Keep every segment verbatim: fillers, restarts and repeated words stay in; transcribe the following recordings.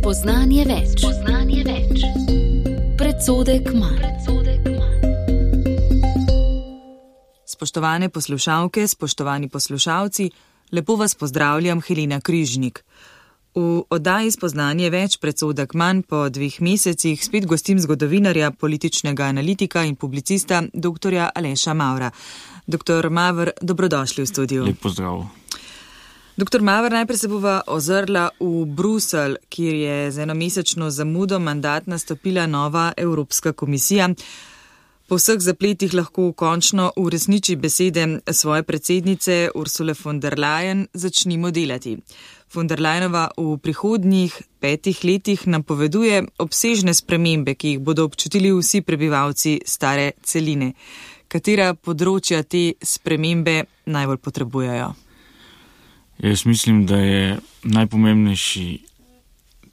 Spoznanje več. Spoznanje več. Predsodek manj. Spoštovane poslušalke, spoštovani poslušalci, lepo vas pozdravljam, Helena Križnik. V oddaji Spoznanje več, predsodek manj po dveh mesecih spet gostim zgodovinarja, političnega analitika in publicista doktorja Aleša Mavra. Doktor Mavr, dobrodošli v studiu. Lep pozdrav. Doktor Mavr, najprej se bova ozrla v Bruselj, kjer je z enomesečno zamudo mandat nastopila nova Evropska komisija. Po vseh zapletih lahko končno uresniči besede svoje predsednice Ursule von der Leyen, začnimo delati. Von der Leyenova v prihodnjih petih letih napoveduje obsežne spremembe, ki jih bodo občutili vsi prebivalci stare celine. Katera področja te spremembe najbolj potrebujejo? Jaz mislim, da je najpomembnejši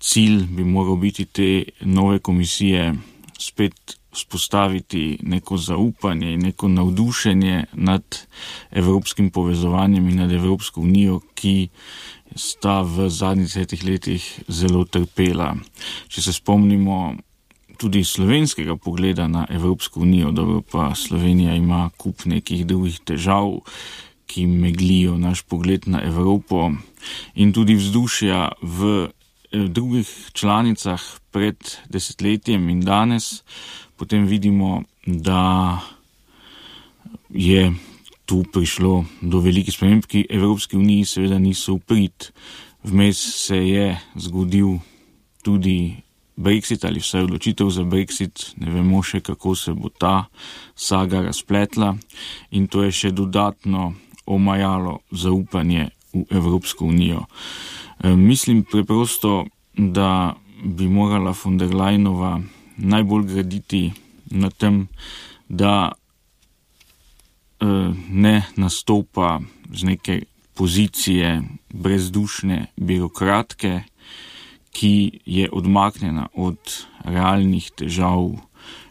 cilj bi moral biti te nove komisije spet vzpostaviti neko zaupanje in neko navdušenje nad evropskim povezovanjem in nad Evropsko unijo, ki sta v zadnjih desetih letih zelo trpela. Če se spomnimo tudi slovenskega pogleda na Evropsko unijo, dobro pa Slovenija ima kup nekih drugih težav, ki meglijo naš pogled na Evropo, in tudi vzdušja v drugih članicah pred desetletjem in danes, potem vidimo, da je tu prišlo do velikih sprememb, ki Evropski uniji seveda niso v prid. Vmes se je zgodil tudi Brexit ali vsaj odločitev za Brexit, ne vemo še, kako se bo ta saga razpletla, in to je še dodatno omajalo zaupanje v Evropsko unijo. E, mislim preprosto, da bi morala von der Leyenova najbolj graditi na tem, da e, ne nastopa z neke pozicije brezdušne birokratke, ki je odmaknjena od realnih težav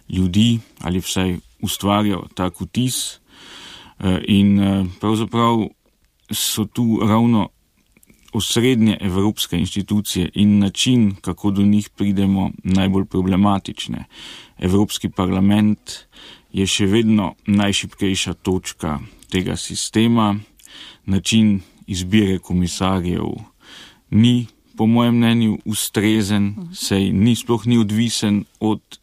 ljudi ali vsaj ustvarja tak vtis. In pravzaprav so tu ravno osrednje evropske institucije in način, kako do njih pridemo, najbolj problematične. Evropski parlament je še vedno najšibkejša točka tega sistema. Način izbire komisarjev ni, po mojem mnenju, ustrezen, saj ni, sploh ni odvisen od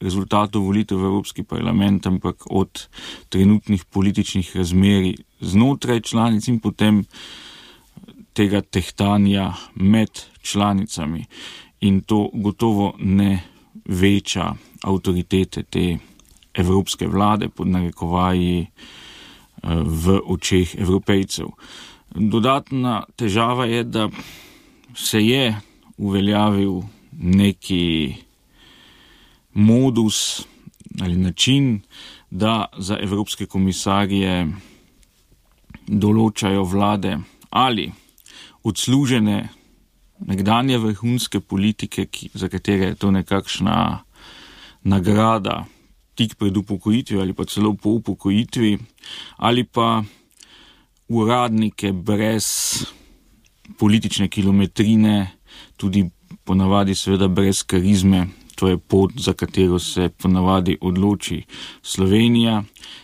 rezultatov volitev v Evropski parlament, ampak od trenutnih političnih razmerij znotraj članic in potem tega tehtanja med članicami. In to gotovo ne veča avtoritete te evropske vlade pod narekovaji v očeh Evropejcev. Dodatna težava je, da se je uveljavil neki modus ali način, da za evropske komisarje določajo vlade ali odslužene nekdanje vrhunske politike, ki, za katere je to nekakšna nagrada tik pred upokojitvijo ali pa celo po upokojitvi, ali pa uradnike brez politične kilometrine, tudi ponavadi seveda brez karizme. To je pot, za katero se ponavadi odloči Slovenija,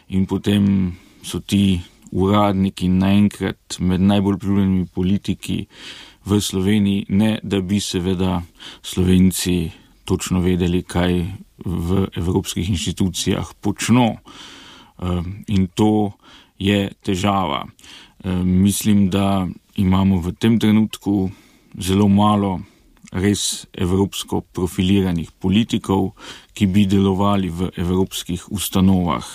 in potem so ti uradniki naenkrat med najbolj priljubljenimi politiki v Sloveniji, ne da bi seveda Slovenci točno vedeli, kaj v evropskih inštitucijah počno. In to je težava. Mislim, da imamo v tem trenutku zelo malo res evropsko profiliranih politikov, ki bi delovali v evropskih ustanovah.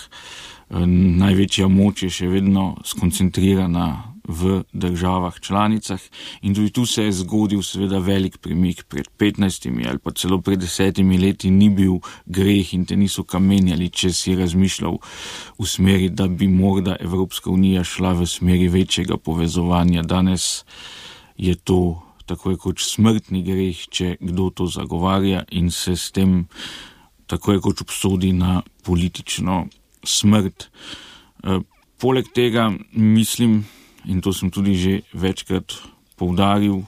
Največja moč je še vedno skoncentrirana v državah članicah in tudi tu se je zgodil seveda velik premik. Pred petnajstimi ali pa celo pred desetimi leti ni bil greh in te niso kamenjali, če si razmišljal v smeri, da bi morda Evropska unija šla v smeri večjega povezovanja. Danes je to tako je kot smrtni greh, če kdo to zagovarja in se s tem tako je kot obsodi na politično smrt. E, poleg tega mislim, in to sem tudi že večkrat poudaril,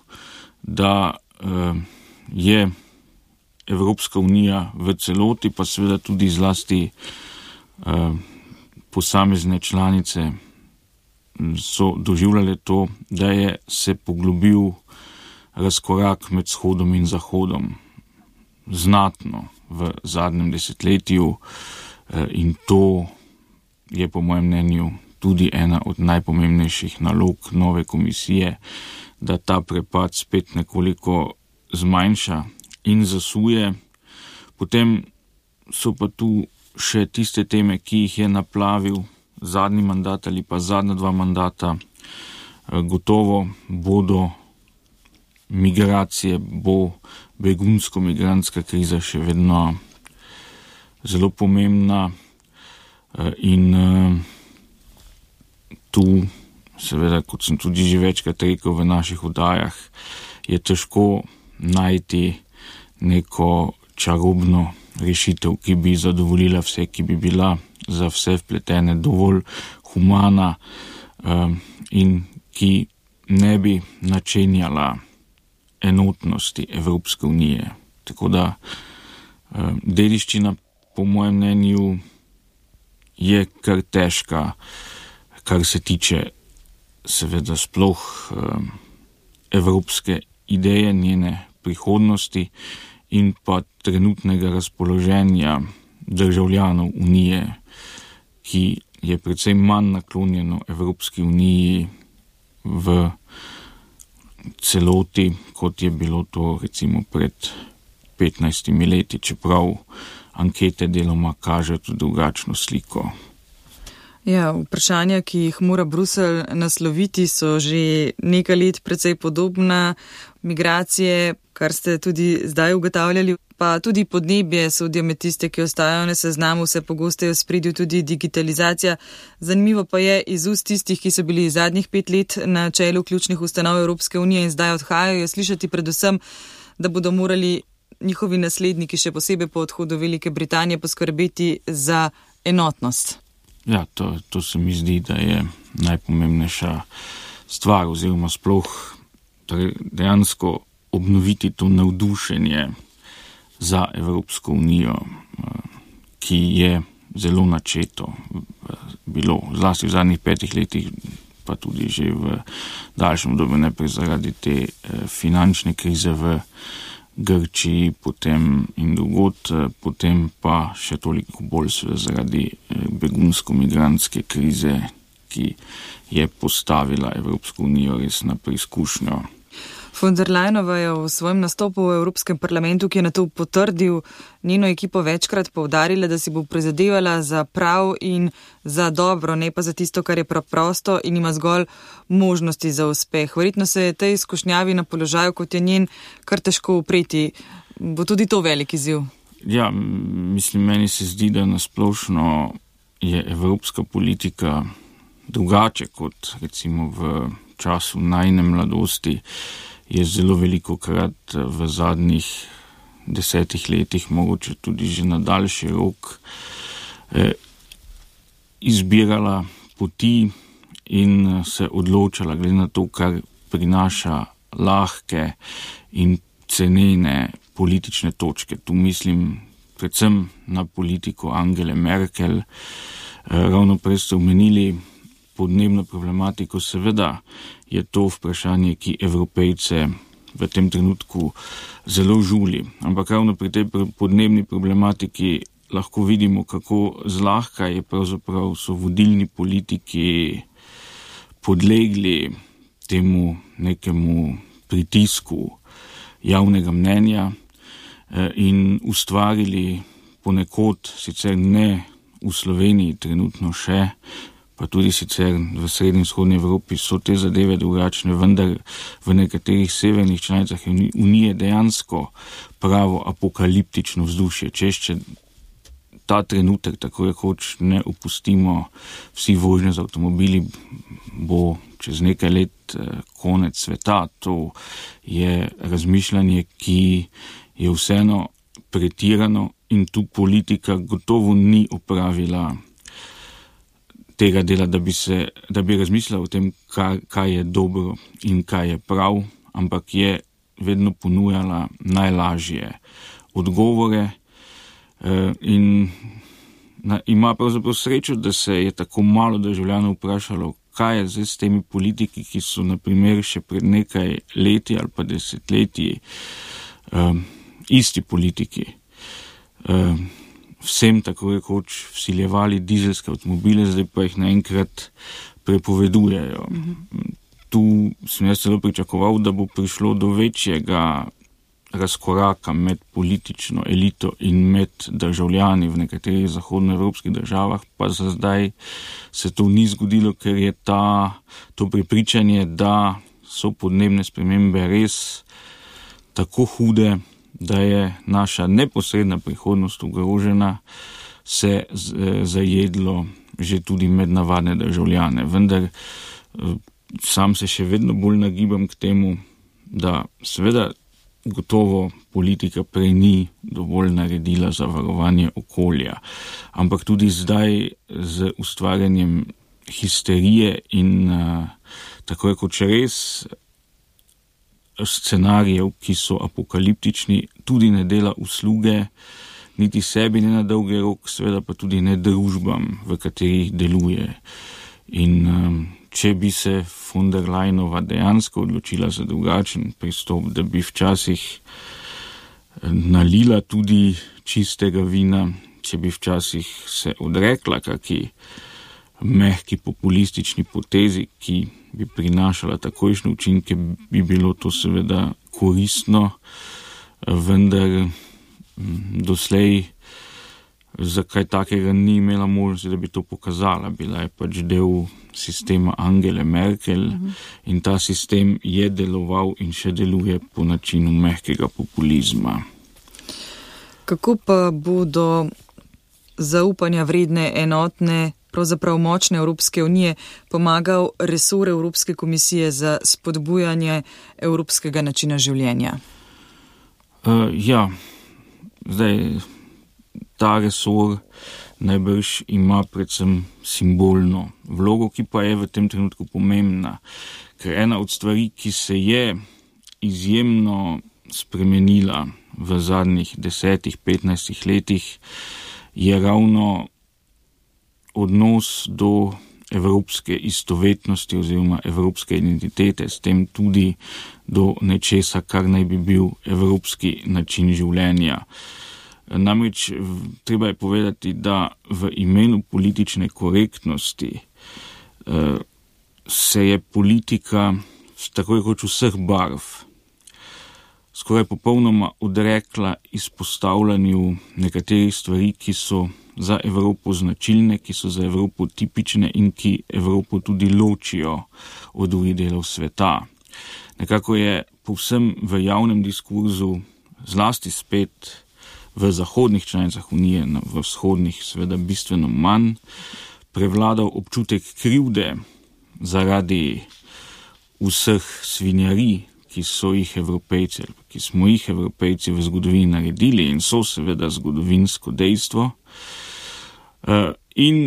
da e, je Evropska unija v celoti, pa seveda tudi zlasti uh, posamezne članice so doživljale to, da je se poglobil razkorak med vzhodom in zahodom znatno v zadnjem desetletju in to je po mojem mnenju tudi ena od najpomembnejših nalog nove komisije, da ta prepad spet nekoliko zmanjša in zasuje. Potem so pa tu še tiste teme, ki jih je naplavil zadnji mandat ali pa zadnja dva mandata. Gotovo bodo migracije, bo begunsko-migrantska kriza še vedno zelo pomembna in tu, seveda, kot sem tudi že večkrat rekel v naših oddajah, je težko najti neko čarobno rešitev, ki bi zadovoljila vse, ki bi bila za vse vpletene dovolj humana in ki ne bi načenjala enotnosti Evropske unije. Tako da dediščina po mojem mnenju je kar težka, kar se tiče seveda sploh evropske ideje, njene prihodnosti in pa trenutnega razpoloženja državljanov unije, ki je precej manj naklonjeno Evropski uniji v celoti, kot je bilo to recimo pred petnajstimi leti, čeprav ankete deloma kažejo tudi drugačno sliko. Ja, vprašanja, ki jih mora Bruselj nasloviti, so že nekaj let precej podobna. Migracije, kar ste tudi zdaj ugotavljali, pa tudi podnebje sodijo med tiste, ki ostajajo na seznamu, vse pogosteje v spredju tudi digitalizacija. Zanimivo pa je iz ust tistih, ki so bili zadnjih pet let na čelu ključnih ustanov Evropske unije in zdaj odhajajo, slišati predvsem, da bodo morali njihovi nasledniki, še posebej po odhodu Velike Britanije, poskrbeti za enotnost. Ja, to, to se mi zdi, da je najpomembnejša stvar oziroma sploh dejansko obnoviti to navdušenje za Evropsko unijo, ki je zelo načeto bilo, zlasti v zadnjih petih letih, pa tudi že v daljšem obdobju, najprej zaradi te finančne krize v Grčiji, potem in drugod, potem pa še toliko bolj zaradi begunsko-migrantske krize, ki je postavila Evropsko unijo res na preizkušnjo. Von der Leyenova je v svojem nastopu v Evropskem parlamentu, ki je na to potrdil njeno ekipo, večkrat poudarila, da si bo prizadevala za prav in za dobro, ne pa za tisto, kar je preprosto in ima zgolj možnosti za uspeh. Verjetno se je tej izkušnjavi na položaju, kot je njen, kar težko upreti. Bo tudi to velik izziv? Ja, mislim, meni se zdi, da nasplošno je evropska politika drugače kot recimo v času najne mladosti. Je zelo veliko krat v zadnjih desetih letih, mogoče tudi že na daljši rok, eh, izbirala poti in se odločala glede na to, kar prinaša lahke in cenene politične točke. Tu mislim predvsem na politiko Angele Merkel. Eh, ravno prej ste omenili podnebno problematiko, seveda je to vprašanje, ki Evropejce v tem trenutku zelo žuli. Ampak ravno pri tej podnebni problematiki lahko vidimo, kako zlahka je pravzaprav so vodilni politiki podlegli temu nekemu pritisku javnega mnenja in ustvarili ponekod, sicer ne v Sloveniji trenutno še, pa tudi sicer v srednji in vzhodni Evropi so te zadeve drugačne, vendar v nekaterih severnih članicah Unije dejansko pravo apokaliptično vzdušje. Če ta trenutek, tako rekoč, ne opustimo vsi vožnje z avtomobili, bo čez nekaj let konec sveta. To je razmišljanje, ki je vseeno pretirano in tu politika gotovo ni opravila tega dela, da bi, se, da bi razmislila o tem, kaj, kaj je dobro in kaj je prav, ampak je vedno ponujala najlažje odgovore in ima pravzaprav srečo, da se je tako malo državljanov vprašalo, kaj je zdaj s temi politiki, ki so na primer še pred nekaj leti ali pa desetletji um, isti politiki um, vsem tako rekoč vsiljevali dizelske avtomobile, zdaj pa jih naenkrat prepovedujejo. Mm-hmm. Tu sem jaz celo pričakoval, da bo prišlo do večjega razkoraka med politično elito in med državljani v nekaterih zahodnoevropskih državah, pa za zdaj se to ni zgodilo, ker je ta, to prepričanje, da so podnebne spremembe res tako hude, da je naša neposredna prihodnost ogrožena, se zajedlo že tudi med navadne državljane. Vendar sam se še vedno bolj nagibam k temu, da seveda gotovo politika prej ni dovolj naredila za varovanje okolja, ampak tudi zdaj z ustvarjanjem histerije in uh, tako rekoč res scenarijev, ki so apokaliptični, tudi ne dela usluge niti sebi, ne na dolgi rok, seveda pa tudi ne družbam, v katerih deluje. In um, če bi se von der Leyenova dejansko odločila za drugačen pristop, da bi včasih nalila tudi čistega vina, če bi včasih se odrekla kaki mehki populistični potezi, ki bi prinašala takojšnje učinke, bi bilo to seveda koristno, vendar doslej zakaj takega ni imela možnosti, da bi to pokazala. Bila je pač del sistema Angele Merkel uh-huh. in ta sistem je deloval in še deluje po načinu mehkega populizma. Kako pa bodo zaupanja vredne, enotne, pravzaprav močne Evropske unije pomagal resor Evropske komisije za spodbujanje evropskega načina življenja? Uh, ja, zdaj ta resor najbrž ima predvsem simbolno vlogo, ki pa je v tem trenutku pomembna, ker ena od stvari, ki se je izjemno spremenila v zadnjih desetih, petnajstih letih, je ravno odnos do evropske istovetnosti oziroma evropske identitete, s tem tudi do nečesa, kar naj bi bil evropski način življenja. Namreč treba je povedati, da v imenu politične korektnosti eh, se je politika tako rekoč vseh barv skoraj popolnoma odrekla izpostavljanju nekaterih stvari, ki so za Evropo značilne, ki so za Evropo tipične in ki Evropo tudi ločijo od drugih delov sveta. Nekako je povsem v javnem diskurzu, zlasti spet v zahodnih članicah Unije, v vzhodnih seveda bistveno manj, prevladal občutek krivde zaradi vseh svinjarij, ki so jih Evropejci, ki smo jih Evropejci v zgodovini naredili in so seveda zgodovinsko dejstvo. In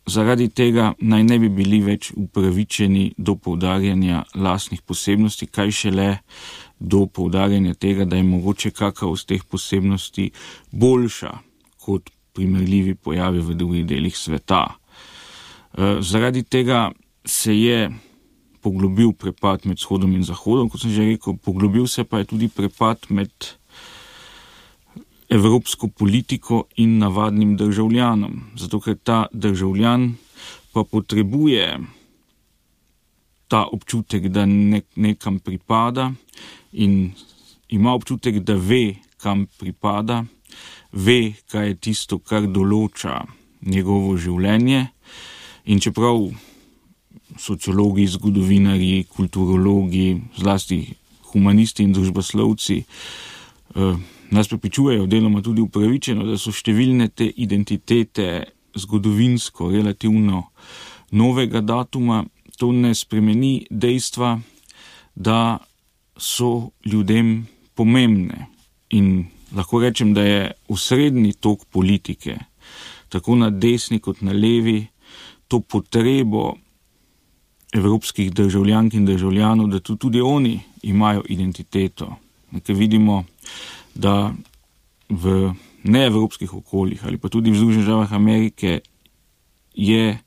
zaradi tega naj ne bi bili več upravičeni do poudarjanja lastnih posebnosti, kaj šele do poudarjanja tega, da je mogoče kakšna od teh posebnosti boljša kot primerljivi pojavi v drugih delih sveta. Zaradi tega se je poglobil prepad med vzhodom in zahodom, kot sem že rekel, poglobil se pa je tudi prepad med evropsko politiko in navadnim državljanom, zato ker ta državljan pa potrebuje ta občutek, da nek, nekam pripada in ima občutek, da ve, kam pripada, ve, kaj je tisto, kar določa njegovo življenje. In čeprav sociologi, zgodovinarji, kulturologi, zlasti humanisti in družboslovci eh, nas prepričujejo deloma tudi upravičeno, da so številne te identitete zgodovinsko relativno novega datuma, to ne spremeni dejstva, da so ljudem pomembne. In lahko rečem, da je osrednji tok politike, tako na desni kot na levi, to potrebo evropskih državljank in državljanov, da tudi oni imajo identiteto. Nekaj vidimo, da v neevropskih okoljih ali pa tudi v Združenih državah Amerike je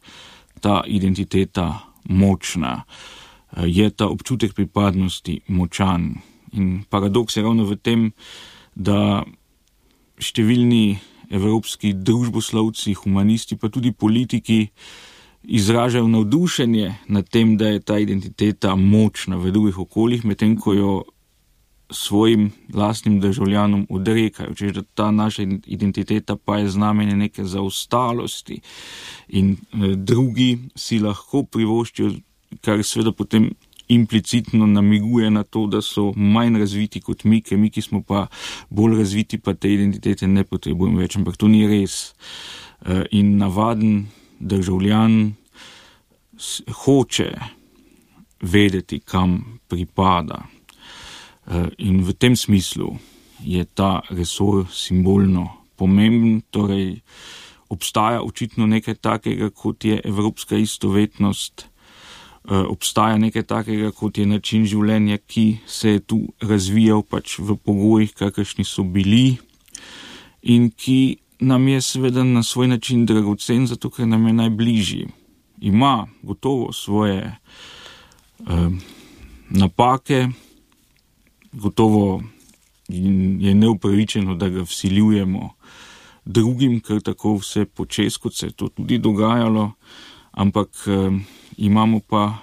ta identiteta močna, je ta občutek pripadnosti močan. In paradoks je ravno v tem, da številni evropski družboslovci, humanisti, pa tudi politiki izražajo navdušenje nad tem, da je ta identiteta močna v drugih okoljih, medtem ko jo svojim lastnim državljanom odrekajo, češ da ta naša identiteta pa je znamenje neke zaostalosti in eh, drugi si lahko privoščijo, kar seveda potem implicitno namiguje na to, da so manj razviti kot mi, ker mi, ki smo pa bolj razviti, pa te identitete ne potrebujemo več, ampak to ni res. Eh, in navaden državljan hoče vedeti, kam pripada. In v tem smislu je ta resor simbolno pomemben, torej obstaja očitno nekaj takega, kot je evropska istovetnost, obstaja nekaj takega, kot je način življenja, ki se je tu razvijal pač v pogojih, kakršni so bili in ki nam je seveda na svoj način dragocen, zato ker nam je najbližji. Ima gotovo svoje eh, napake, gotovo je neupravičeno, da ga vsiljujemo drugim, ker tako vse počes, kot se je to tudi dogajalo, ampak eh, imamo pa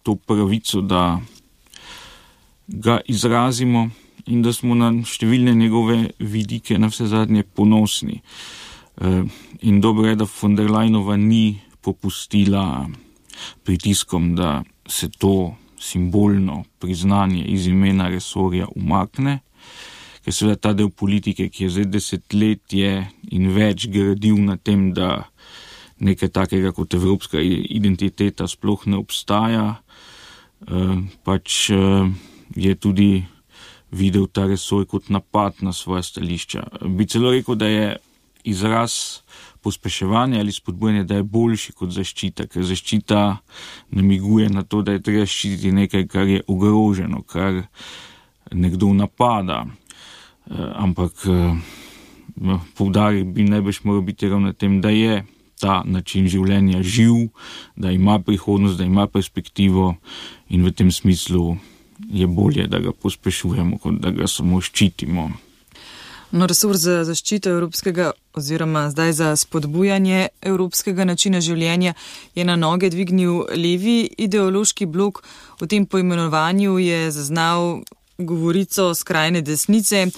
to pravico, da ga izrazimo in da smo na številne njegove vidike na vse zadnje ponosni. Eh, in dobro je, da von der Leyenova ni popustila pritiskom, da se to simbolno priznanje iz imena resorja umakne, ker seveda ta del politike, ki je zdaj desetletje in več gradil na tem, da nekaj takega kot evropska identiteta sploh ne obstaja, pač je tudi videl ta resor kot napad na svoja stališča. Bi celo rekel, da je izraz pospeševanje ali spodbujanje, da je boljši kot zaščita, ker zaščita namiguje na to, da je treba ščititi nekaj, kar je ogroženo, kar nekdo napada. E, ampak e, poudarek bi najbrž moral biti ravno na tem, da je ta način življenja živ, da ima prihodnost, da ima perspektivo in v tem smislu je bolje, da ga pospešujemo, kot da ga samo ščitimo. No, resor za zaščito evropskega oziroma zdaj za spodbujanje evropskega načina življenja je na noge dvignil levi ideološki blok. V tem poimenovanju je zaznal govorico skrajne desnice.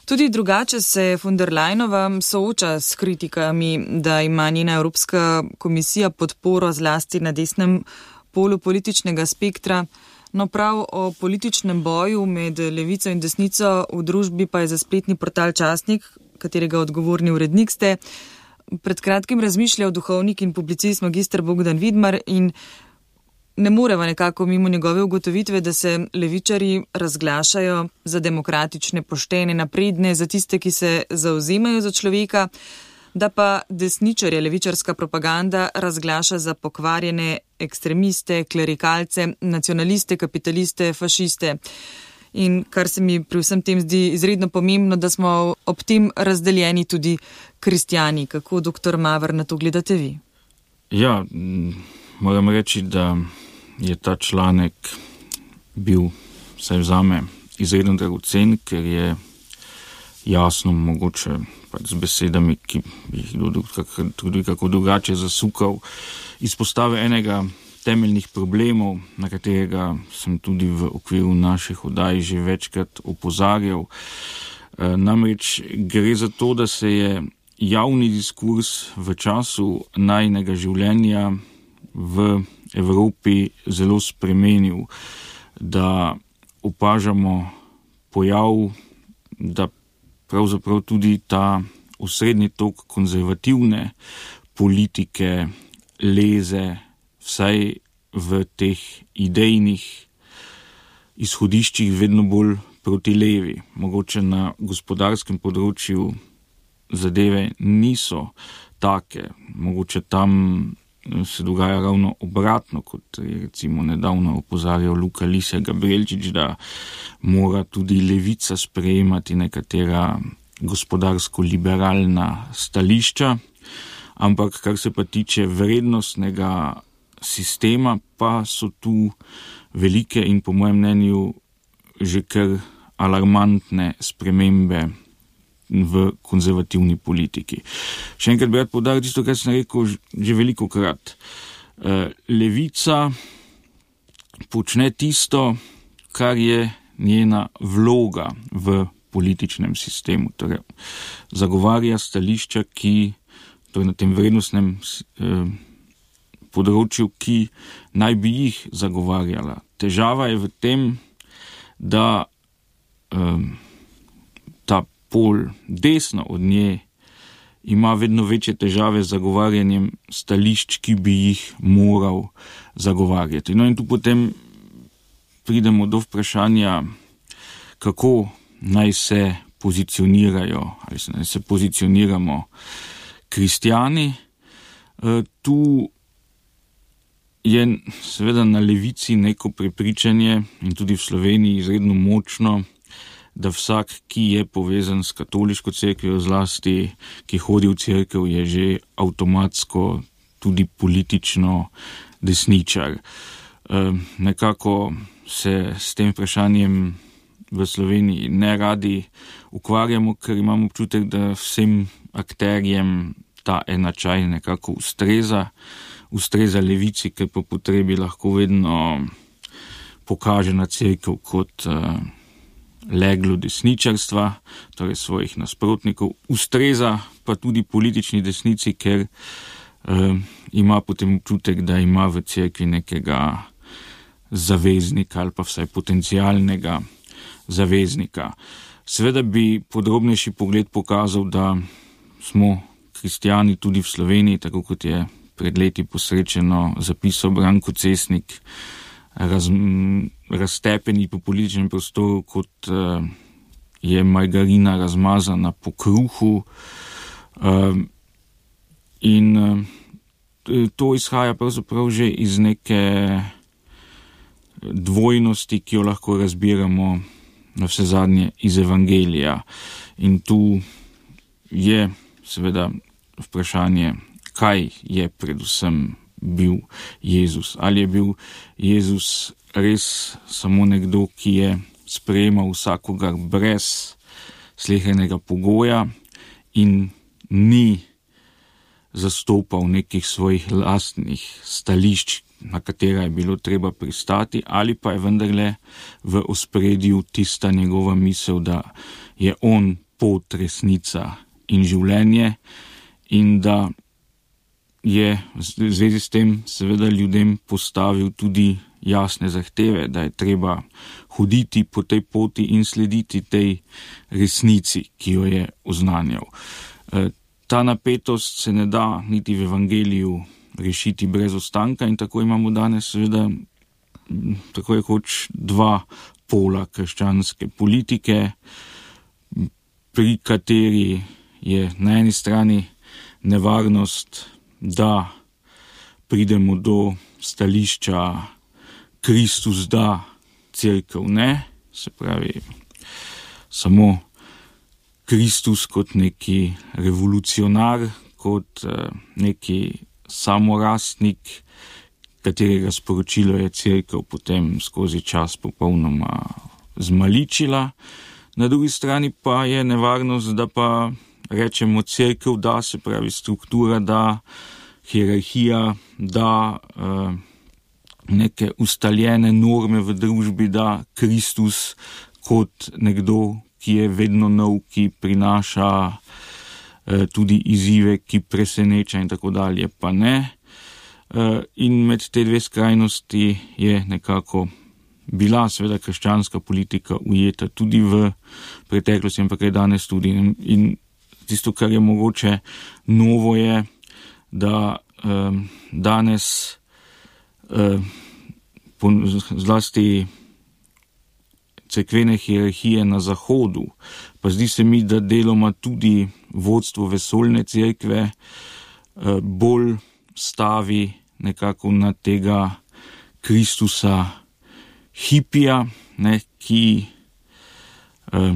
Tudi drugače se von der Leyenova sooča s kritikami, da ima njena Evropska komisija podporo zlasti na desnem polu političnega spektra. No, prav o političnem boju med levico in desnico v družbi pa je za spletni portal Časnik, katerega odgovorni urednik ste, pred kratkim razmišljal duhovnik in publicist magister Bogdan Vidmar in ne moreva nekako mimo njegove ugotovitve, da se levičari razglašajo za demokratične, poštene, napredne, za tiste, ki se zauzemajo za človeka, da pa desničarje levičarska propaganda razglaša za pokvarjene ekstremiste, klerikalce, nacionaliste, kapitaliste, fašiste. In kar se mi pri vsem tem zdi izredno pomembno, da smo ob tem razdeljeni tudi kristjani. Kako, doktor Maver, na to gledate vi? Ja, moram reči, da je ta članek bil, vsaj vzame, izredno dragocen, ker je jasno mogoče pač z besedami, ki bi jih tudi kako drugače zasukal, izpostavil enega temeljnih problemov, na katerega sem tudi v okviru naših oddaj že večkrat opozarjal. E, namreč gre za to, da se je javni diskurs v času najinega življenja v Evropi zelo spremenil, da opažamo pojav, da pravzaprav tudi ta osrednji tok konzervativne politike leze vsaj v teh idejnih izhodiščih vedno bolj proti levi. Mogoče na gospodarskem področju zadeve niso take, mogoče tam se dogaja ravno obratno, kot je recimo nedavno opozarjal Luka Lise Gabrielčič, da mora tudi levica sprejemati nekatera gospodarsko-liberalna stališča, ampak kar se pa tiče vrednostnega sistema, pa so tu velike in po mojem mnenju že kar alarmantne spremembe v konzervativni politiki. Še enkrat bi rad poudaril tisto, kar sem rekel že veliko krat. Levica počne tisto, kar je njena vloga v političnem sistemu. Torej, zagovarja stališča, ki torej na tem vrednostnem področju, ki naj bi jih zagovarjala. Težava je v tem, da ta pol desno od nje ima vedno večje težave z zagovarjanjem stališč, ki bi jih moral zagovarjati. No in tu potem pridemo do vprašanja, kako naj se pozicionirajo, ali naj se pozicioniramo kristjani. Tu je seveda na levici neko prepričanje in tudi v Sloveniji izredno močno, da vsak, ki je povezan s katoliško cerkvijo, zlasti, ki hodi v cerkev, je že avtomatsko tudi politično desničar. E, nekako se s tem vprašanjem v Sloveniji ne radi ukvarjamo, ker imamo občutek, da vsem akterjem ta enačaj nekako ustreza, ustreza levici, ker po potrebi lahko vedno pokaže na cerkev kot uh, leglo desničarstva, torej svojih nasprotnikov, ustreza pa tudi politični desnici, ker uh, ima potem občutek, da ima v cerkvi nekega zaveznika ali pa vsaj potencialnega zaveznika. Seveda bi podrobnejši pogled pokazal, da smo kristjani tudi v Sloveniji, tako kot je pred leti posrečeno zapisal Branko Cesnik, raz, raztepeni po političnem prostoru, kot uh, je margarina razmazana po kruhu. Uh, in uh, to izhaja pravzaprav že iz neke dvojnosti, ki jo lahko razbiramo na vse zadnje iz Evangelija. In tu je seveda vprašanje, kaj je predvsem bil Jezus. Ali je bil Jezus res samo nekdo, ki je sprejemal vsakogar brez slehernega pogoja in ni zastopal nekih svojih lastnih stališč, na katera je bilo treba pristati, ali pa je vendarle v ospredju tista njegova misel, da je on pot, resnica in življenje in da je v zvezi s tem seveda ljudem postavil tudi jasne zahteve, da je treba hoditi po tej poti in slediti tej resnici, ki jo je oznanjal. Ta napetost se ne da niti v Evangeliju rešiti brez ostanka in tako imamo danes seveda tako rekoč dva pola krščanske politike, pri kateri je na eni strani nevarnost, da pridemo do stališča Kristus da, cerkev ne, se pravi samo Kristus kot neki revolucionar, kot neki samorastnik, katerega sporočilo je cerkev potem skozi čas popolnoma zmaličila. Na drugi strani pa je nevarnost, da pa rečemo cerkev da, se pravi struktura da, hierarhija da, eh, neke ustaljene norme v družbi da, Kristus kot nekdo, ki je vedno nov, ki prinaša eh, tudi izzive, ki preseneča in tako dalje, pa ne. Eh, in med te dve skrajnosti je nekako bila seveda krščanska politika ujeta tudi v preteklosti, ampak je danes tudi. In tisto, kar je mogoče novo, je, da eh, danes eh, po, zlasti cerkvene hierarhije na Zahodu, pa zdi se mi, da deloma tudi vodstvo vesoljne cerkve eh, bolj stavi nekako na tega Kristusa hipija, ne, ki eh,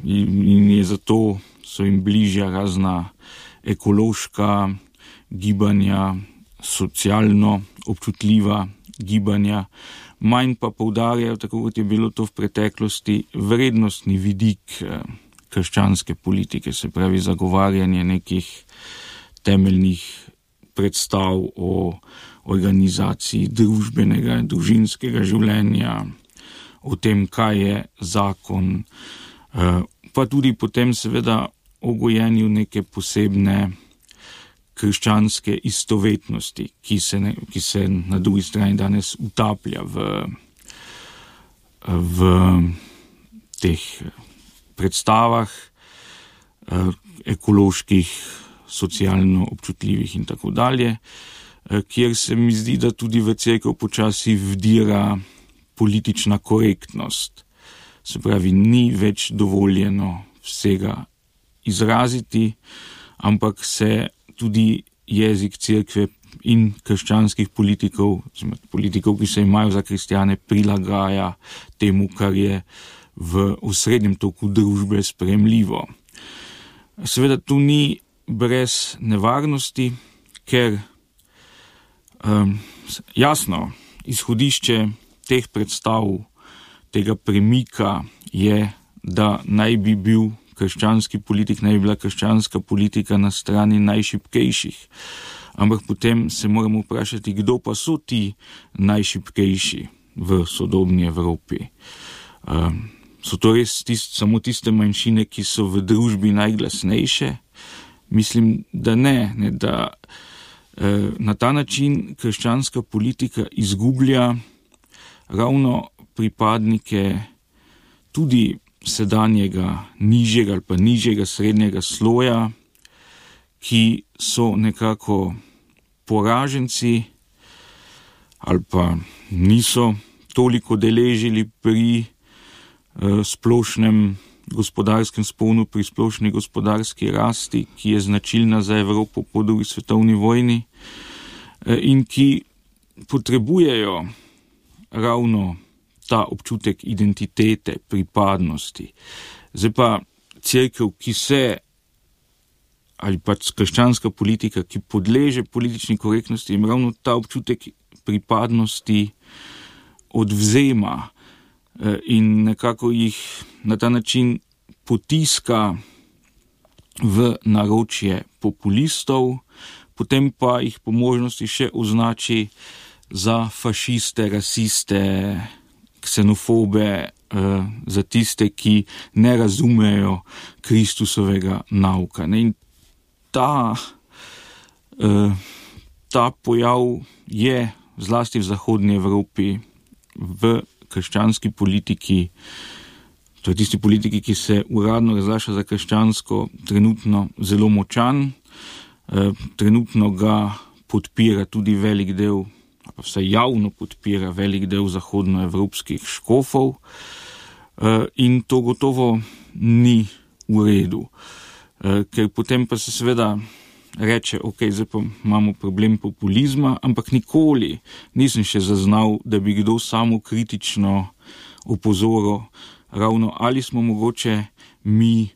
in je zato so jim bližja razna ekološka gibanja, socialno občutljiva gibanja, manj pa poudarjajo, tako kot je bilo to v preteklosti, vrednostni vidik eh, krščanske politike, se pravi zagovarjanje nekih temeljnih predstav o organizaciji družbenega in družinskega življenja, o tem, kaj je zakon, pa tudi potem seveda o gojenju neke posebne krščanske istovetnosti, ki se, ne, ki se na drugi strani danes utaplja v, v teh predstavah ekoloških, socialno občutljivih in tako dalje, kjer se mi zdi, da tudi v cerkev počasi vdira politična korektnost. Se pravi, ni več dovoljeno vsega izraziti, ampak se tudi jezik cerkve in krščanskih politikov, politikov, ki se imajo za kristjane, prilagaja temu, kar je v osrednjem toku družbe sprejemljivo. Seveda tu ni brez nevarnosti, ker um, jasno, izhodišče teh predstav, tega premika je, da naj bi bil krščanski politik, naj bi bila krščanska politika na strani najšibkejših. Ampak potem se moramo vprašati, kdo pa so ti najšibkejši v sodobni Evropi. Um, so to res tist, samo tiste manjšine, ki so v družbi najglasnejše? Mislim, da ne, ne da eh, na ta način krščanska politika izgublja ravno pripadnike tudi sedanjega nižjega ali pa nižjega srednjega sloja, ki so nekako poraženci ali pa niso toliko deležili pri eh, splošnem gospodarskem sponu, pri splošni gospodarski rasti, ki je značilna za Evropo po drugi svetovni vojni in ki potrebujejo ravno ta občutek identitete, pripadnosti. Zdaj pa cerkev, ki se, ali pa krščanska politika, ki podleže politični korektnosti, jim ravno ta občutek pripadnosti odvzema in nekako jih na ta način potiska v naročje populistov, potem pa jih po možnosti še označi za fašiste, rasiste, ksenofobe, za tiste, ki ne razumejo Kristusovega nauka. In ta, ta pojav je zlasti v zahodni Evropi v krščanski politiki, to je tisti politiki, ki se uradno razglaša za krščansko, trenutno zelo močan. E, trenutno ga podpira tudi velik del, pa vsaj javno podpira velik del zahodnoevropskih škofov e, in to gotovo ni v redu. E, ker potem pa se seveda reče, ok, zdaj pa imamo problem populizma, ampak nikoli nisem še zaznal, da bi kdo samo kritično opozoril ravno, ali smo mogoče mi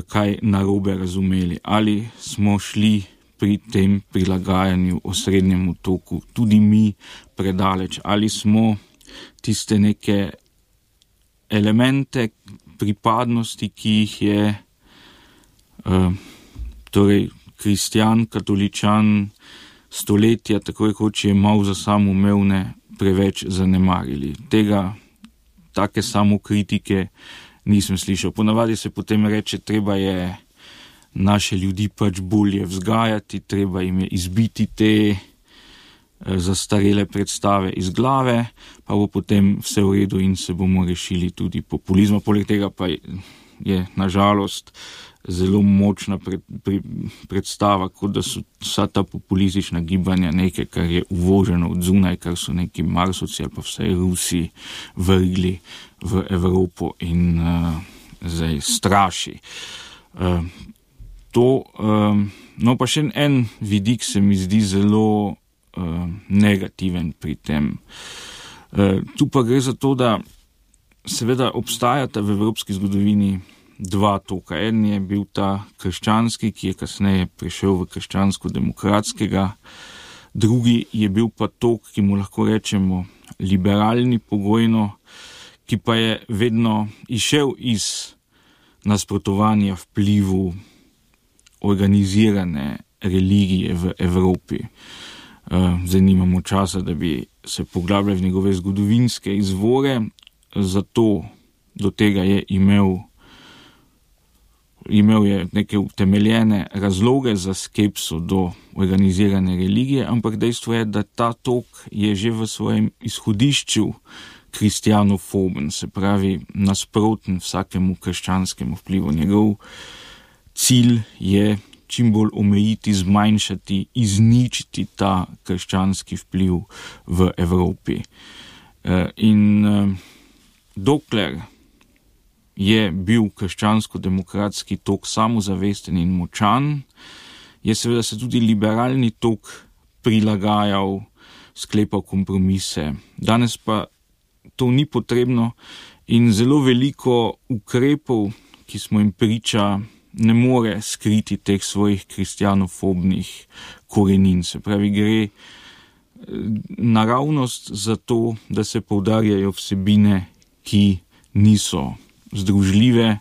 kaj narobe razumeli, ali smo šli pri tem prilagajanju osrednjemu toku tudi mi predaleč, ali smo tiste neke elemente pripadnosti, ki jih je uh, torej kristjan, katoličan, stoletja, tako rekoč je mal za samoumevne, preveč zanemarili. Tega, take samokritike nisem slišal. Ponavadi se potem reče, treba je naše ljudi pač bolje vzgajati, treba jim je izbiti te zastarele predstave iz glave, pa bo potem vse v redu in se bomo rešili tudi populizma. Poleg tega pa je nažalost zelo močna pred, pri, predstava, kot da so vsa ta populistična gibanja nekaj, kar je uvoženo od zunaj, kar so neki Marsovci ali pa vsaj Rusi vrgli v Evropo in uh, zdaj straši. Uh, to. Um, no, pa še en vidik se mi zdi zelo uh, negativen pri tem. Uh, tu pa gre za to, da seveda obstajata v evropski zgodovini dva toka. En je bil ta krščanski, ki je kasneje prišel v krščansko-demokratskega, drugi je bil pa tok, ki mu lahko rečemo liberalni pogojno, ki pa je vedno išel iz nasprotovanja vplivu organizirane religije v Evropi. Zdaj nimamo časa, da bi se poglabljali v njegove zgodovinske izvore, zato do tega je imel, imel je neke utemeljene razloge za skepso do organizirane religije, ampak dejstvo je, da ta tok je že v svojem izhodišču kristjanofoben, se pravi nasproten vsakemu krščanskemu vplivu. Njegov cilj je čim bolj omejiti, zmanjšati, izničiti ta krščanski vpliv v Evropi. In dokler je bil krščansko-demokratski tok samozavesten in močan, je seveda se tudi liberalni tok prilagajal, sklepal kompromise. Danes pa to ni potrebno in zelo veliko ukrepov, ki smo jim priča, ne more skriti teh svojih kristjanofobnih korenin. Se pravi, gre naravnost za to, da se poudarjajo vsebine, ki niso združljive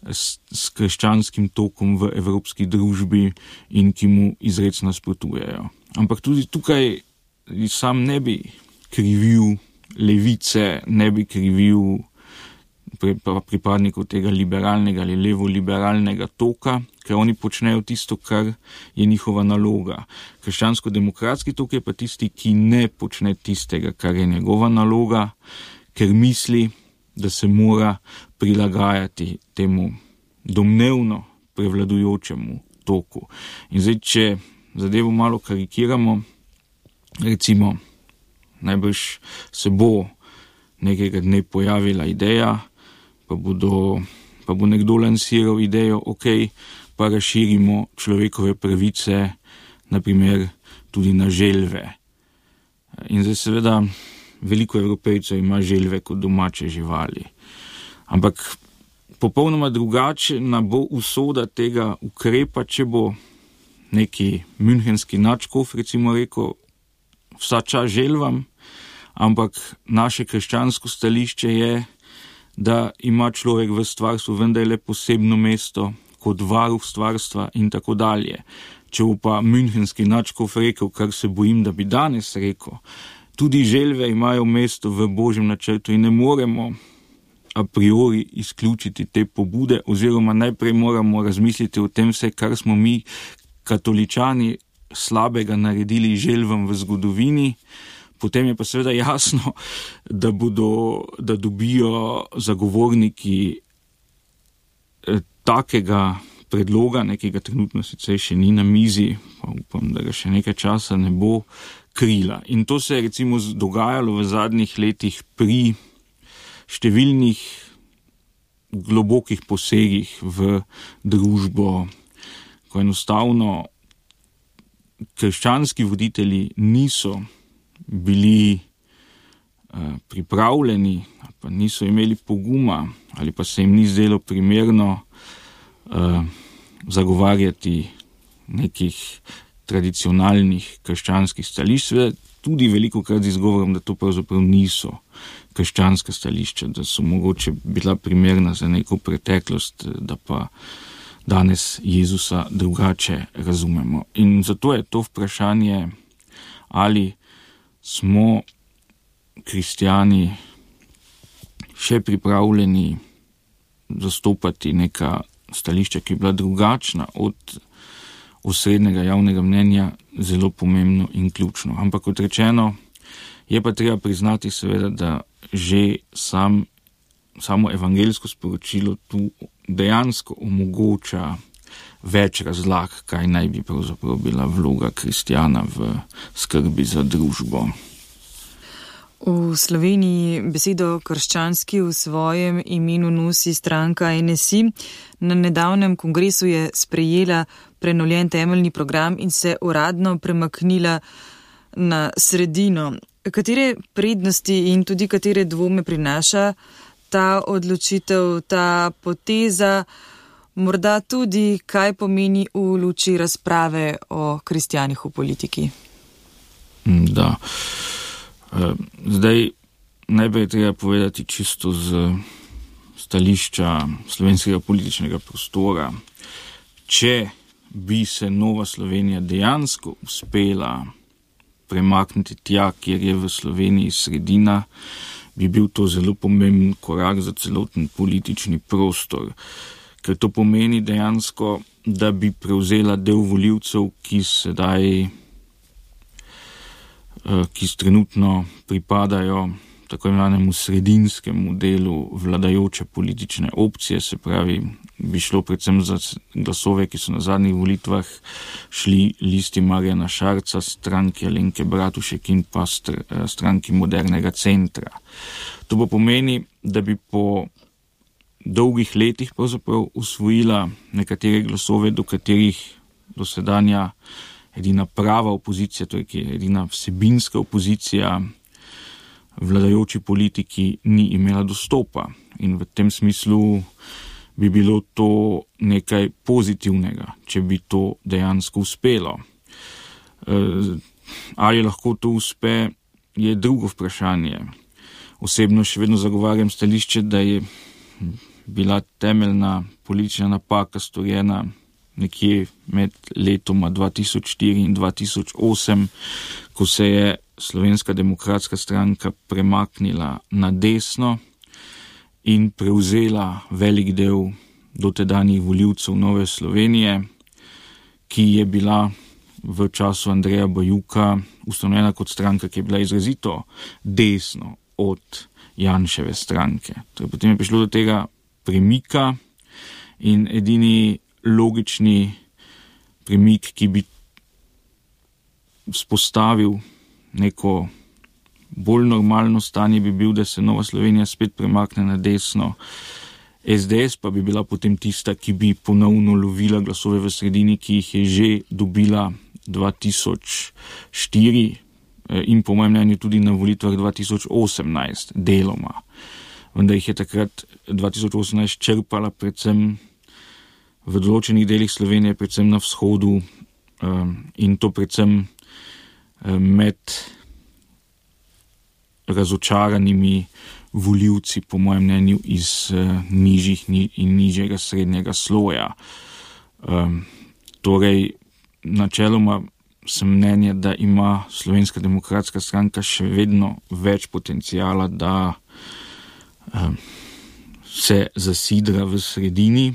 s, s krščanskim tokom v evropski družbi in ki mu izrecno nasprotujejo. Ampak tudi tukaj sam ne bi krivil levice, ne bi krivil pripadnikov tega liberalnega ali levo-liberalnega toka, ker oni počnejo tisto, kar je njihova naloga. Krščansko-demokratski tok je pa tisti, ki ne počne tistega, kar je njegova naloga, ker misli, da se mora prilagajati temu domnevno prevladujočemu toku. In zdaj, če zadevo malo karikiramo, recimo, najbrž se bo nekega dne pojavila ideja, pa, bodo, pa bo nekdo lansiral idejo, ok, pa razširimo človekove pravice, naprimer tudi na želve. In zdaj seveda veliko Evropejcev ima želve kot domače živali. Ampak popolnoma drugačna bo usoda tega ukrepa, če bo neki münchenski nadškof recimo rekel, vsa čas želvam, ampak naše krščansko stališče je, da ima človek v stvarstvu vendarle posebno mesto kot varuh stvarstva in tako dalje. Če bo pa münchenski nadškof rekel, kar se bojim, da bi danes rekel, tudi želve imajo mesto v Božjem načrtu in ne moremo a priori izključiti te pobude, oziroma najprej moramo razmisliti o tem vse, kar smo mi katoličani slabega naredili želvam v zgodovini. Potem je pa seveda jasno, da bodo, da dobijo zagovorniki takega predloga, nekega trenutno sicer še ni na mizi, pa upam, da ga še nekaj časa ne bo, krila. In to se je recimo dogajalo v zadnjih letih pri številnih globokih posegih v družbo, ko enostavno krščanski voditelji niso bili uh, pripravljeni, pa niso imeli poguma, ali pa se jim ni zdelo primerno uh, zagovarjati nekih tradicionalnih krščanskih stališč, tudi veliko krat z izgovorom, da to pravzaprav niso krščanska stališča, da so mogoče bila primerna za neko preteklost, da pa danes Jezusa drugače razumemo. In zato je to vprašanje, ali smo kristjani še pripravljeni zastopati neka stališča, ki je bila drugačna od osrednjega javnega mnenja, zelo pomembno in ključno. Ampak kot rečeno, je pa treba priznati seveda, da že sam, samo evangeljsko sporočilo tu dejansko omogoča več razlag, kaj naj bi pravzaprav bila vloga kristjana v skrbi za družbo. V Sloveniji besedo krščanski v svojem imenu nosi stranka N S I. Na nedavnem kongresu je sprejela prenovljen temeljni program in se uradno premaknila na sredino. Katere prednosti in tudi katere dvome prinaša ta odločitev, ta poteza, morda tudi kaj pomeni v luči razprave o kristjanih v politiki? Da. Zdaj, najprej treba povedati čisto z stališča slovenskega političnega prostora. Če bi se Nova Slovenija dejansko uspela premakniti tja, kjer je v Sloveniji sredina, bi bil to zelo pomemben korak za celoten politični prostor. Ker to pomeni dejansko, da bi prevzela del volivcev, ki sedaj ki trenutno pripadajo tako imenovanemu sredinskemu delu vladajoče politične opcije, se pravi, bi šlo predvsem za glasove, ki so na zadnjih volitvah šli Listi Marjana Šarca, stranki Alenke Bratušek in pa stranki Modernega centra. To pa pomeni, da bi po dolgih letih pravzaprav usvojila nekatere glasove, do katerih dosedanja edina prava opozicija, to je edina vsebinska opozicija vladajoči politiki ni imela dostopa. In v tem smislu bi bilo to nekaj pozitivnega, če bi to dejansko uspelo. Ali lahko to uspe, je drugo vprašanje. Osebno še vedno zagovarjam stališče, da je bila temeljna politična napaka storjena nekje med letoma dva tisoč štiri in dva tisoč osem, ko se je Slovenska demokratska stranka premaknila na desno in prevzela velik del dotedanjih volivcev Nove Slovenije, ki je bila v času Andreja Bajuka ustanovljena kot stranka, ki je bila izrazito desno od Janševe stranke. Torej, potem je prišlo do tega premika in edini logični premik, ki bi spostavil neko bolj normalno stanje, bi bil, da se Nova Slovenija spet premakne na desno. S D S pa bi bila potem tista, ki bi ponovno lovila glasove v sredini, ki jih je že dobila dva tisoč štiri in po mojem mnenju tudi na volitvah dva tisoč osemnajst deloma. Vendar jih je takrat dva tisoč osemnajst črpala predvsem v določenih delih Slovenije, predvsem na vzhodu, in to predvsem med razočaranimi volivci, po mojem mnenju, iz nižjih in nižjega srednjega sloja. Torej, načeloma sem mnenja, da ima Slovenska demokratska stranka še vedno več potencijala, da se zasidra v sredini,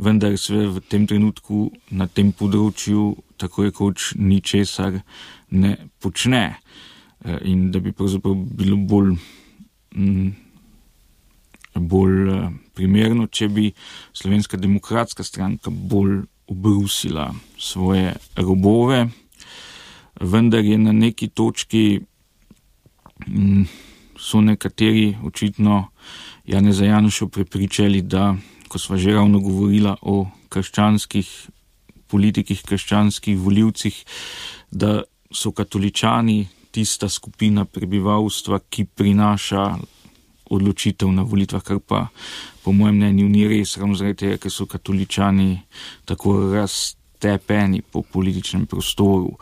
vendar se v tem trenutku na tem področju tako rekoč ničesar ne počne. In da bi pravzaprav bilo bolj, bolj primerno, če bi Slovenska demokratska stranka bolj obrusila svoje robove, vendar je na neki točki so nekateri očitno Janeza Janšo prepričali, da ko sva že ravno govorila o krščanskih politikih, krščanskih volivcih, da so katoličani tista skupina prebivalstva, ki prinaša odločitev na volitvah, kar pa po mojem mnenju ni res, ravno zaradi tega, ker so katoličani tako raztepeni po političnem prostoru.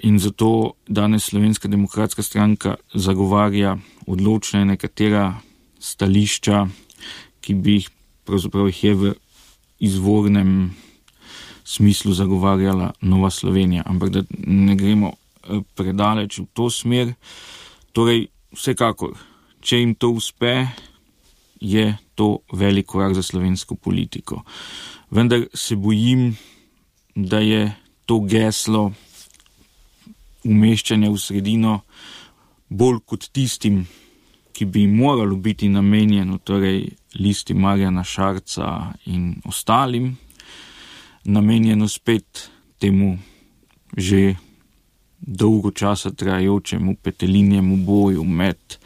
In zato danes Slovenska demokratska stranka zagovarja odločne nekatera stališča, ki bi jih pravzaprav jih je v izvornem smislu zagovarjala Nova Slovenija, ampak da ne gremo predaleč v to smer. Torej, vsekakor, če jim to uspe, je to velik korak za slovensko politiko. Vendar se bojim, da je to geslo umeščanja v sredino bolj kot tistim, ki bi moralo biti namenjeno, torej Listi Marjana Šarca in ostalim, namenjeno spet temu že dolgo časa trajajočemu petelinjemu boju med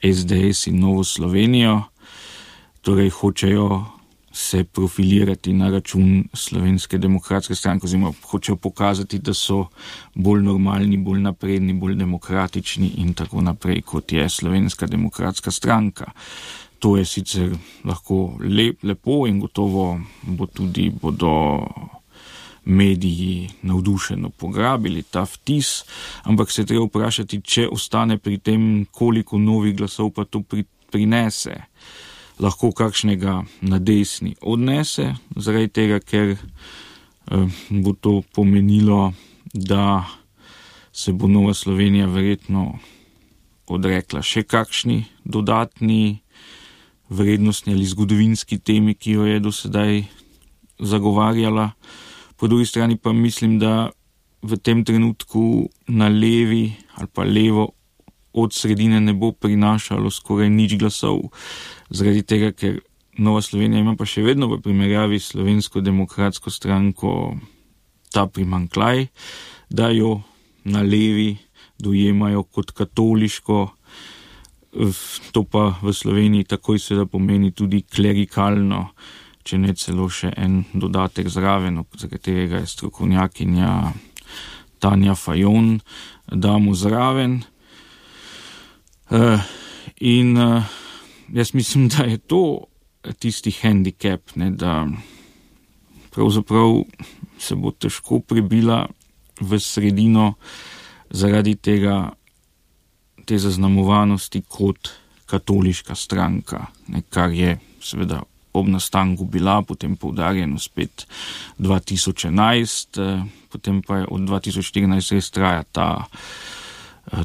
es de es in Novo Slovenijo, torej hočejo se profilirati na račun Slovenske demokratske stranke, oziroma hočejo pokazati, da so bolj normalni, bolj napredni, bolj demokratični in tako naprej, kot je Slovenska demokratska stranka. To je sicer lahko lep, lepo in gotovo bo tudi bodo mediji navdušeno pograbili ta vtis, ampak se treba vprašati, če ostane pri tem, koliko novih glasov pa to pri, prinese. Lahko kakšnega na desni odnese, zaradi tega, ker eh, bo to pomenilo, da se bo Nova Slovenija verjetno odrekla še kakšni dodatni vrednostni ali zgodovinski temi, ki jo je do sedaj zagovarjala. Po drugi strani pa mislim, da v tem trenutku na levi ali pa levo od sredine ne bo prinašalo skoraj nič glasov, zaradi tega, ker Nova Slovenija ima pa še vedno v primerjavi s Slovensko demokratsko stranko ta primanjkljaj, da jo na levi dojemajo kot katoliško, to pa v Sloveniji takoj seveda pomeni tudi klerikalno, če ne celo še en dodatek zraven, za katerega je strokovnjakinja Tanja Fajon damo zraven. Uh, in uh, jaz mislim, da je to tisti handicap, ne, da pravzaprav se bo težko prebila v sredino zaradi tega, te zaznamovanosti kot katoliška stranka, ne, kar je seveda ob nastanku bila, potem poudarjeno spet dva tisoč enajst, potem pa je od dva tisoč štirinajst res traja ta,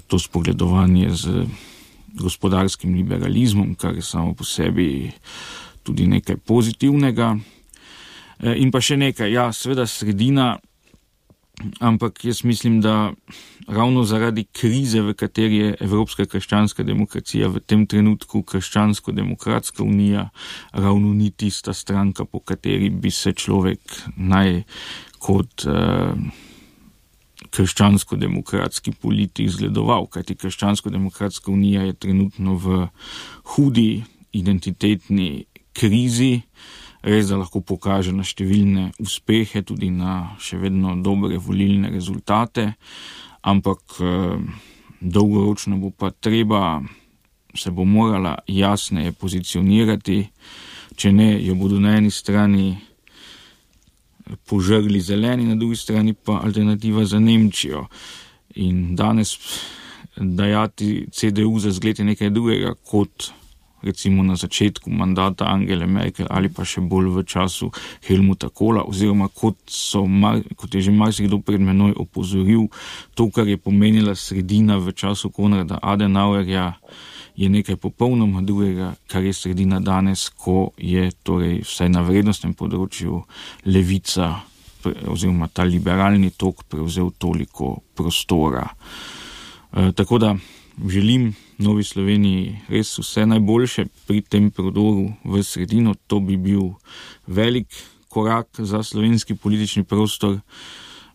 to spogledovanje z gospodarskim liberalizmom, kar je samo po sebi tudi nekaj pozitivnega. In pa še nekaj, ja, seveda sredina, ampak jaz mislim, da ravno zaradi krize, v kateri je Evropska krščanska demokracija, v tem trenutku Krščansko-demokratska unija ravno ni tista stranka, po kateri bi se človek naj kot eh, krščansko-demokratski politik zgledoval, kajti Krščansko-demokratska unija je trenutno v hudi identitetni krizi. Res, da lahko pokaže na številne uspehe, tudi na še vedno dobre volilne rezultate, ampak eh, dolgoročno bo pa treba, se bo morala jasneje pozicionirati, če ne, jo bodo na eni strani požrli zeleni, na drugi strani pa alternativa za Nemčijo. In danes dajati ce de u za zgled je nekaj drugega kot recimo na začetku mandata Angele Merkel ali pa še bolj v času Helmuta Kohla, oziroma kot, so, kot je že marsikdo pred menoj opozoril, to, kar je pomenila sredina v času Konrada Adenauerja, je nekaj popolnoma drugega, kar je sredina danes, ko je torej vsaj na vrednostnem področju levica oziroma ta liberalni tok prevzel toliko prostora. E, tako da želim Novi Sloveniji res vse najboljše pri tem prodoru v sredino. To bi bil velik korak za slovenski politični prostor,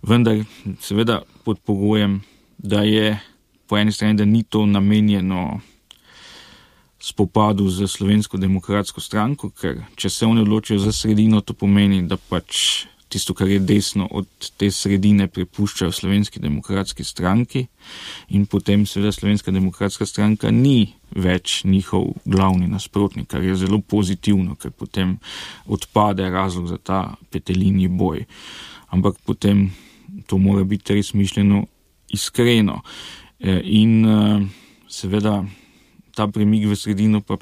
vendar seveda pod pogojem, da je po eni strani, da ni to namenjeno spopadu z Slovensko demokratsko stranko, ker če se oni odločijo za sredino, to pomeni, da pač tisto, kar je desno od te sredine, prepuščajo Slovenski demokratski stranki in potem seveda Slovenska demokratska stranka ni več njihov glavni nasprotnik, kar je zelo pozitivno, ker potem odpade razlog za ta petelinji boj. Ampak potem to mora biti res mišljeno iskreno. In seveda ta premik v sredino pa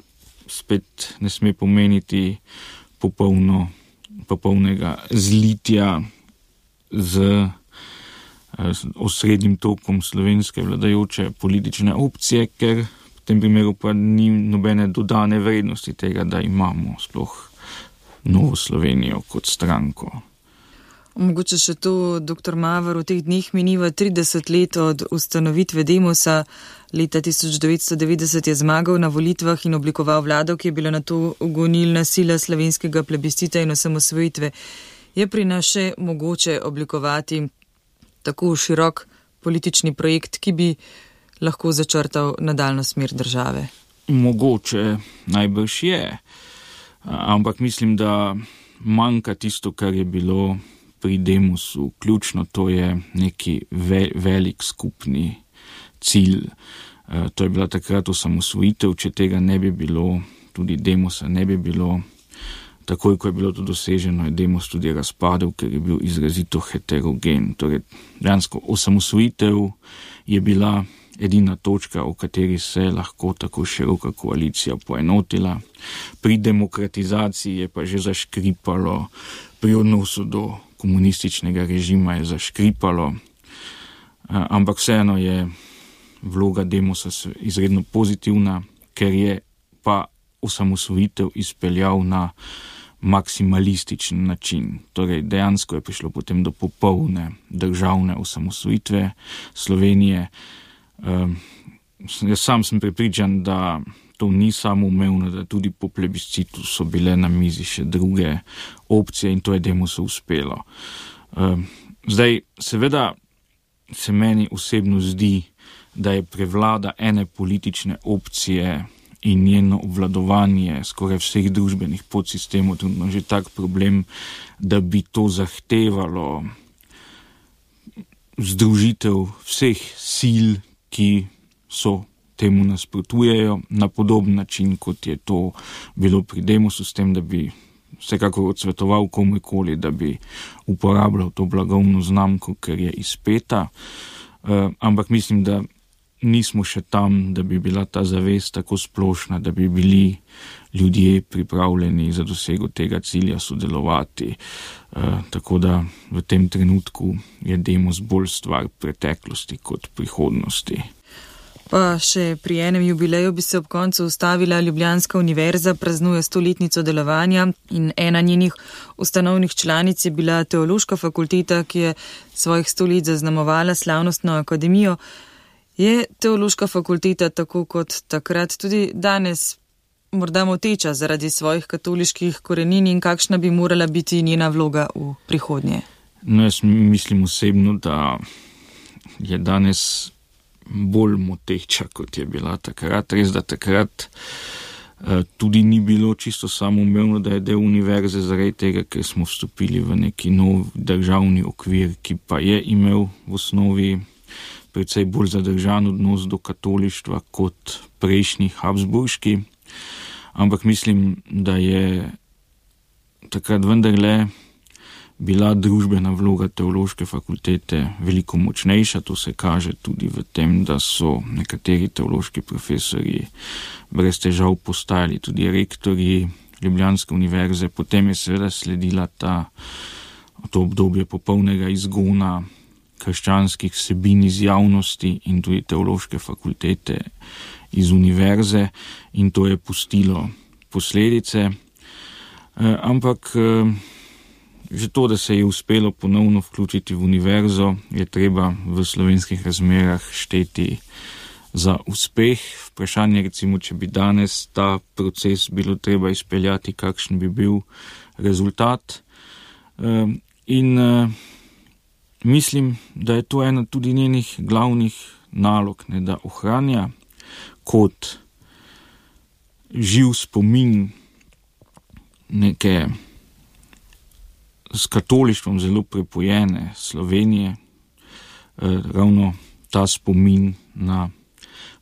spet ne sme pomeniti popolno popolnega zlitja z osrednjim tokom slovenske vladajoče politične opcije, ker v tem primeru pa ni nobene dodane vrednosti tega, da imamo sploh Novo Slovenijo kot stranko. Mogoče še to, doktor Maver, v teh dneh miniva trideset let od ustanovitve Demosa. Leta tisoč devetsto devetdeset je zmagal na volitvah in oblikoval vlado, ki je bila nato gonilna sila slovenskega plebiscita in osamosvojitve. Je pri nas še mogoče oblikovati tako širok politični projekt, ki bi lahko začrtal nadaljno smer države? Mogoče najbrž je, ampak mislim, da manjka tisto, kar je bilo pri Demosu ključno, to je neki ve- velik skupni cilj. To je bila takrat osamosvojitev, če tega ne bi bilo, tudi Demosa ne bi bilo. Takoj, ko je bilo to doseženo, je Demos tudi razpadel, ker je bil izrazito heterogen. Torej, dejansko osamosvojitev je bila edina točka, o kateri se je lahko tako široka koalicija poenotila. Pri demokratizaciji je pa že zaškripalo, pri odnosu do komunističnega režima je zaškripalo, ampak vseeno je vloga Demosa izredno pozitivna, ker je pa osamosvojitev izpeljal na maksimalističen način. Torej, dejansko je prišlo potem do popolne državne osamosvojitve Slovenije. Um, jaz sam sem prepričan, da to ni samoumevno, da tudi po plebiscitu so bile na mizi še druge opcije in to je Demosu uspelo. Um, zdaj, seveda se meni osebno zdi, da je prevlada ene politične opcije in njeno obvladovanje skoraj vseh družbenih podsistemov tudi že tak problem, da bi to zahtevalo združitev vseh sil, ki so temu nasprotujejo na podoben način, kot je to bilo pri Demosu, s tem, da bi vsekakor odsvetoval komukoli, da bi uporabljal to blagovno znamko, ker je izpeta. Uh, ampak mislim, da nismo še tam, da bi bila ta zavest tako splošna, da bi bili ljudje pripravljeni za dosego tega cilja sodelovati. Uh, tako da v tem trenutku je Demos bolj stvar preteklosti kot prihodnosti. Pa še pri enem jubileju bi se ob koncu ustavila. Ljubljanska univerza praznuje stoletnico delovanja in ena njenih ustanovnih članic je bila Teološka fakulteta, ki je svojih sto let zaznamovala slavnostno akademijo. Je Teološka fakulteta tako kot takrat tudi danes morda moteča zaradi svojih katoliških korenin in kakšna bi morala biti njena vloga v prihodnje? No, jaz mislim osebno, da je danes bolj moteča, kot je bila takrat. Res, da takrat uh, tudi ni bilo čisto samoumevno, da je del univerze zaradi tega, ker smo vstopili v neki nov državni okvir, ki pa je imel v osnovi predvsej bolj zadržan odnos do katolištva kot prejšnji habsburški. Ampak mislim, da je takrat vendarle bila družbena vloga Teološke fakultete veliko močnejša. To se kaže tudi v tem, da so nekateri teološki profesorji brez težav postajali tudi rektorji Ljubljanske univerze. Potem je seveda sledila ta, to obdobje popolnega izgona krščanskih vsebin iz javnosti in tudi Teološke fakultete iz univerze in to je pustilo posledice. E, ampak e, že to, da se je uspelo ponovno vključiti v univerzo, je treba v slovenskih razmerah šteti za uspeh. Vprašanje recimo, če bi danes ta proces bilo treba izpeljati, kakšen bi bil rezultat. E, in e, mislim, da je to ena tudi njenih glavnih nalog, ne, da ohranja kot živ spomin neke s katolištvom zelo prepojene Slovenije, eh, ravno ta spomin na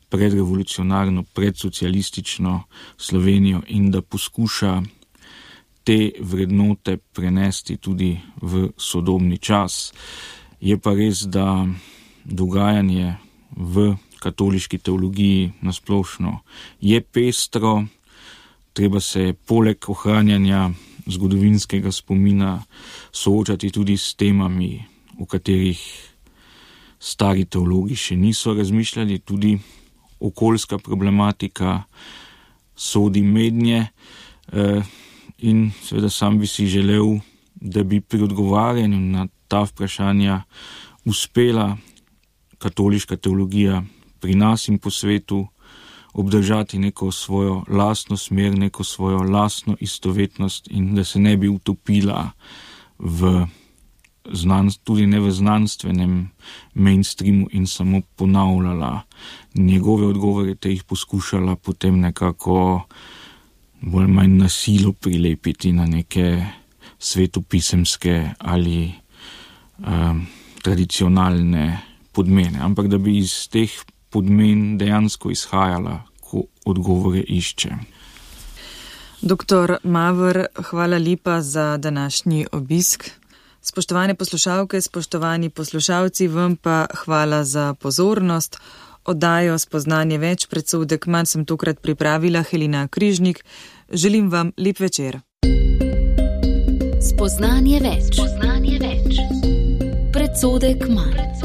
predrevolucionarno, predsocialistično Slovenijo in da poskuša te vrednote prenesti tudi v sodobni čas. Je pa res, da dogajanje v katoliški teologiji nasplošno je pestro, treba se poleg ohranjanja zgodovinskega spomina soočati tudi s temami, o katerih stari teologi še niso razmišljali, tudi okoljska problematika sodi mednje in seveda sam bi si želel, da bi pri odgovarjanju na ta vprašanja uspela katoliška teologija pri nas in po svetu obdržati neko svojo lastno smer, neko svojo lastno istovetnost in da se ne bi utopila v znan, tudi ne v znanstvenem mainstreamu in samo ponavljala njegove odgovore, te jih poskušala potem nekako bolj manj na silo prilepiti na neke svetopisemske ali um, tradicionalne podmene, ampak da bi iz teh podmen dejansko izhajala, ko odgovore išče. Doktor Maver, hvala lepa za današnji obisk. Spoštovane poslušalke, spoštovani poslušalci, vam pa hvala za pozornost. Oddajo Spoznanje več, predsodek manj sem tokrat pripravila Helena Križnik. Želim vam lep večer. Spoznanje več. Spoznanje več. Predsodek manj.